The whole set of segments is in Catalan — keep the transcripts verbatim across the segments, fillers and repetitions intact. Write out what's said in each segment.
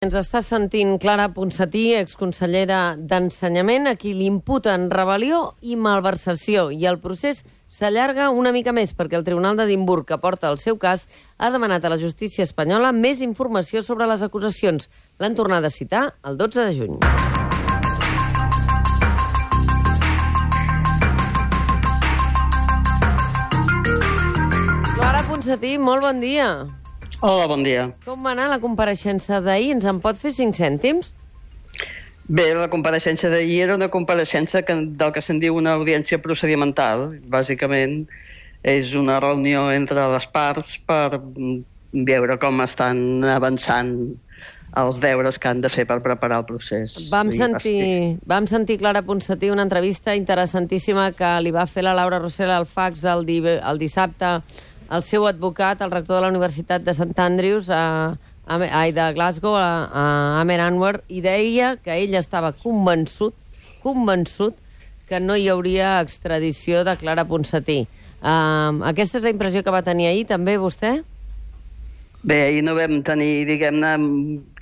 Ens està sentint Clara Ponsatí, exconsellera d'Ensenyament, a qui li imputen rebel·lió i malversació, i el procés s'allarga una mica més perquè el Tribunal d'Edimburg, que porta el seu cas, ha demanat a la justícia espanyola més informació sobre les acusacions. L'han tornat a citar el dotze de juny. Clara Ponsatí, molt bon dia. Hola, bon dia. Com va anar la compareixença d'ahir? Ens en pot fer cinc cèntims? Bé, la compareixença d'ahir era una compareixença que, del que se'n diu una audiència procedimental. Bàsicament és una reunió entre les parts per veure com estan avançant els deures que han de fer per preparar el procés. Vam sentir, vam sentir Clara Ponsatí una entrevista interessantíssima que li va fer la Laura Rossell al fax el, di, el dissabte el seu advocat, el rector de la Universitat de Sant Andrews, a, a, a, de Glasgow, a, a Amer Anwar, i deia que ell estava convençut, convençut que no hi hauria extradició de Clara Ponsatí. Uh, aquesta és la impressió que va tenir ahir, també, vostè? Bé, ahir no vam tenir, diguem-ne,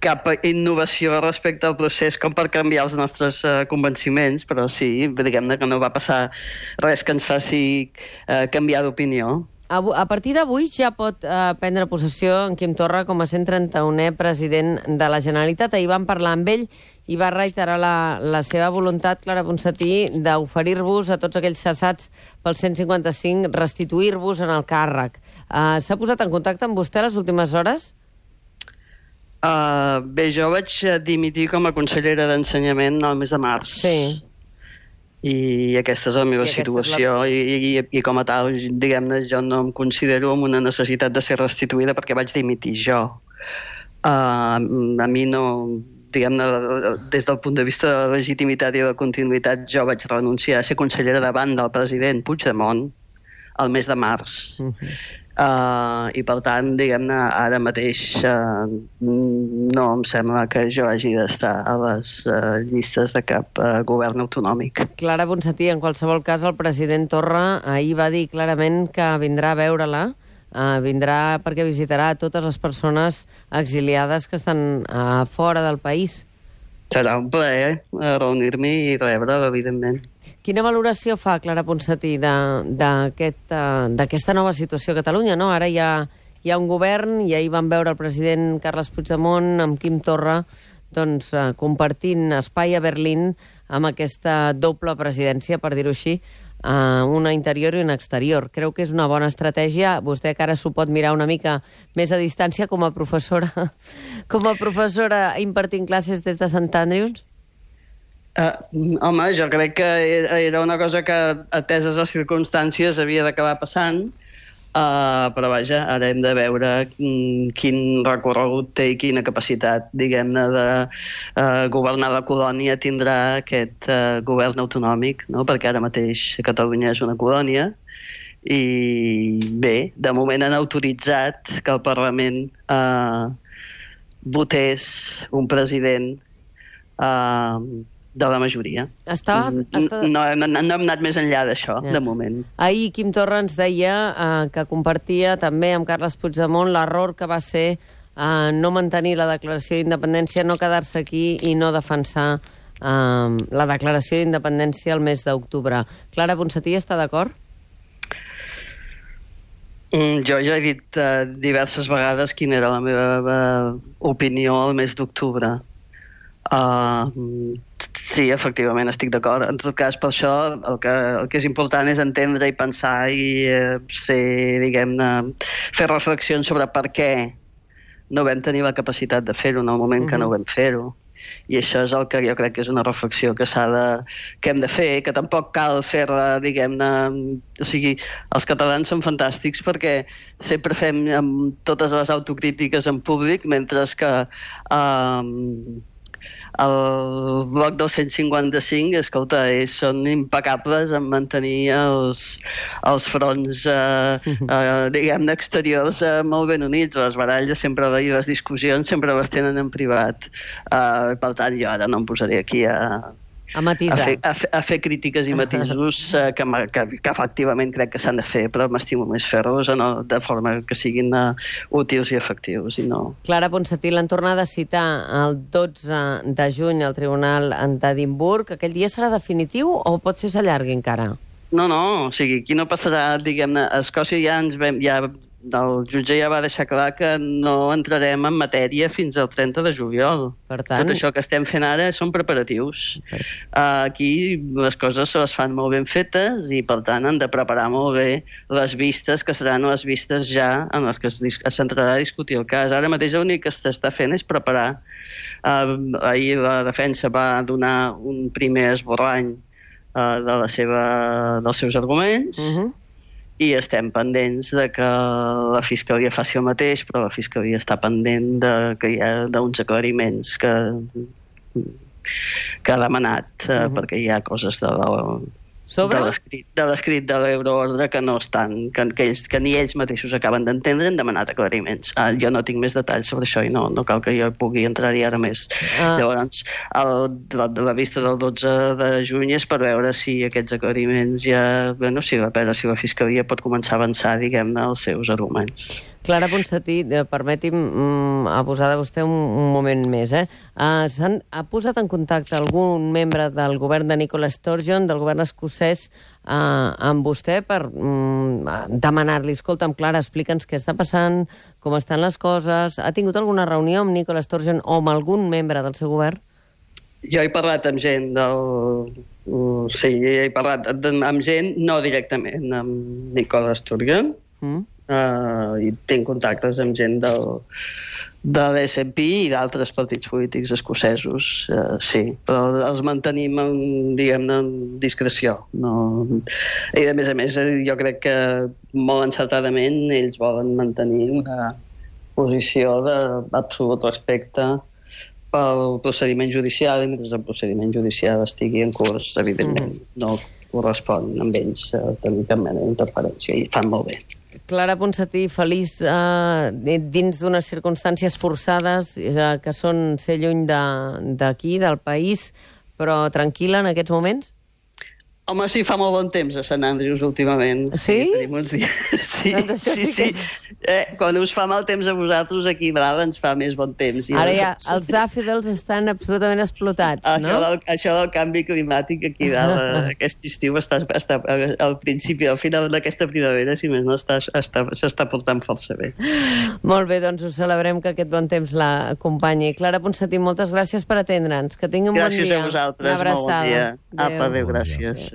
cap innovació respecte al procés com per canviar els nostres uh, convenciments, però sí, diguem-ne que no va passar res que ens faci uh, canviar d'opinió. A partir d'avui ja pot eh, prendre possessió en Quim Torra com a cent trenta-unè president de la Generalitat. Ahir vam parlar amb ell i va reiterar la, la seva voluntat, Clara Ponsatí, d'oferir-vos a tots aquells cessats pel cent cinquanta-cinc, restituir-vos en el càrrec. Eh, S'ha posat en contacte amb vostè les últimes hores? Uh, bé, jo vaig dimitir com a consellera d'Ensenyament el mes de març. Sí. I aquesta és la meva situació la... I, i, i com a tal, diguem-ne, jo no em considero amb una necessitat de ser restituïda perquè vaig dimitir jo. Uh, a mi no, diguem-ne, des del punt de vista de la legitimitat i de la continuïtat, jo vaig renunciar a ser consellera davant del president Puigdemont el mes de març. Uh-huh. Uh, I per tant, diguem-ne, ara mateix uh, no em sembla que jo hagi d'estar a les uh, llistes de cap uh, govern autonòmic. Clara Ponsatí, en qualsevol cas, el president Torra ahir va dir clarament que vindrà a veure-la, uh, vindrà perquè visitarà totes les persones exiliades que estan uh, fora del país. Serà un plaer uh, reunir-m'hi i rebre'l, evidentment. Quina valoració fa, Clara Ponsatí, d'aquesta aquest, nova situació a Catalunya? No? Ara hi ha, hi ha un govern i ahir vam veure el president Carles Puigdemont amb Quim Torra doncs, eh, compartint espai a Berlín amb aquesta doble presidència, per dir-ho així, eh, una interior i una exterior. Creu que és una bona estratègia? Vostè que ara s'ho pot mirar una mica més a distància com a professora, com a professora impartint classes des de Sant Andrews? Uh, home, jo crec que era una cosa que, ateses les circumstàncies, havia d'acabar passant, uh, però vaja, ara hem de veure mm, quin recorregut té i quina capacitat, diguem-ne, de uh, governar la colònia tindrà aquest uh, govern autonòmic, no? Perquè ara mateix Catalunya és una colònia i bé, de moment han autoritzat que el Parlament uh, votés un president uh, de la majoria. Estava, estava... No, hem, no hem anat més enllà d'això, ja. De moment. Ahir Quim Torra ens deia eh, que compartia també amb Carles Puigdemont l'error que va ser eh, no mantenir la declaració d'independència, no quedar-se aquí i no defensar eh, la declaració d'independència el mes d'octubre. Clara Ponsatí està d'acord? Mm, jo ja he dit uh, diverses vegades quina era la meva uh, opinió el mes d'octubre. Uh, sí, efectivament, estic d'acord. En tot cas, per això el que, el que és important és entendre i pensar i uh, ser, diguem-ne, fer reflexions sobre per què no vam tenir la capacitat de fer-ho en el moment mm-hmm. que no vam fer-ho. I això és el que jo crec que és una reflexió que s'ha de, que hem de fer, que tampoc cal fer-la, diguem-ne... O sigui, els catalans són fantàstics perquè sempre fem amb totes les autocrítiques en públic, mentre que... Uh, el bloc del cent cinquanta-cinc, escolta, ells són impecables en mantenir els, els fronts, eh, eh, diguem-ne, exteriors eh, molt ben units. Les baralles sempre, i les discussions sempre les tenen en privat. Eh, per tant, jo ara no em posaré aquí a, A matisar. A fer, a fer, a fer crítiques i matisos eh, que, que, que efectivament crec que s'han de fer, però m'estimo més fer-los no, de forma que siguin uh, útils i efectius. I no... Clara Ponsatí, l'han tornat a citar el dotze de juny al Tribunal d'Edimburg. Aquell dia serà definitiu o pot ser s'allargui encara? No, no, o sigui, aquí no passarà, diguem-ne, a Escòcia ja ens vam... Ja, el jutge ja va deixar clar que no entrarem en matèria fins al trenta de juliol. Per tant... Tot això que estem fent ara són preparatius. Per... Uh, aquí les coses se les fan molt ben fetes i, per tant, han de preparar molt bé les vistes, que seran les vistes ja en les que s'entrarà a discutir el cas. Ara mateix l'únic que s'està fent és preparar. Uh, ahir la defensa va donar un primer esborrany uh, de la seva, dels seus arguments, uh-huh. i estem pendents de que la Fiscalia faci el mateix, però la Fiscalia està pendent de, que hi ha d'uns aclariments que, que ha demanat, uh-huh. eh, perquè hi ha coses de la, Sobre? de l'escrit de l'Euroordre que no estan, que, que, ells, que ni ells mateixos acaben d'entendre, han demanat aclariments. Ah, jo no tinc més detalls sobre això i no, no cal que jo pugui entrar-hi ara més. Ah. Llavors, el, la, la vista del dotze de juny és per veure si aquests aclariments ja... Bueno, si, a veure si la Fiscalia pot començar a avançar, diguem-ne, els seus arguments. Clara Ponsatí, permeti'm mm, abusar de vostè un, un moment més. Eh? Uh, s'han, ha posat en contacte algun membre del govern de Nicola Sturgeon, del govern escocès, uh, amb vostè per mm, demanar-li, escolta'm, Clara, explica'ns què està passant, com estan les coses. Ha tingut alguna reunió amb Nicola Sturgeon o amb algun membre del seu govern? Jo he parlat amb gent del... Uh, sí, he parlat amb gent, no directament amb Nicola Sturgeon, mm. Uh, i tinc contactes amb gent del, de l'S N P i d'altres partits polítics escocesos, uh, sí, però els mantenim en, diguem-ne, en discreció. No... I a més a més, jo crec que molt encertadament ells volen mantenir una posició d'absolut respecte pel procediment judicial, i mentre el procediment judicial estigui en curs, evidentment, mm. no correspon amb ells a tenir cap mena d'interferència, i fan molt bé. Clara Ponsatí, feliç eh, dins d'unes circumstàncies forçades eh, que són ser lluny d'aquí, de, del país, però tranquil·la en aquests moments? Home, sí, fa molt bon temps a Sant Andrews últimament. Sí? Sí, tenim uns dies. Sí, doncs sí, sí. Que... Eh, quan us fa mal temps a vosaltres, aquí a Brava ens fa més bon temps. I ara ja, els dàfodils estan absolutament explotats, això no? Del, això del canvi climàtic aquí a Brava, aquest estiu, està, està, al principi, al final d'aquesta primavera, si més no, s'està portant força bé. Molt bé, doncs ho celebrem que aquest bon temps l'acompanyi. Clara Ponsatí, moltes gràcies per atendre'ns. Que tingui un gràcies bon dia. Gràcies a vosaltres, molt bon dia. Apa, adéu, gràcies.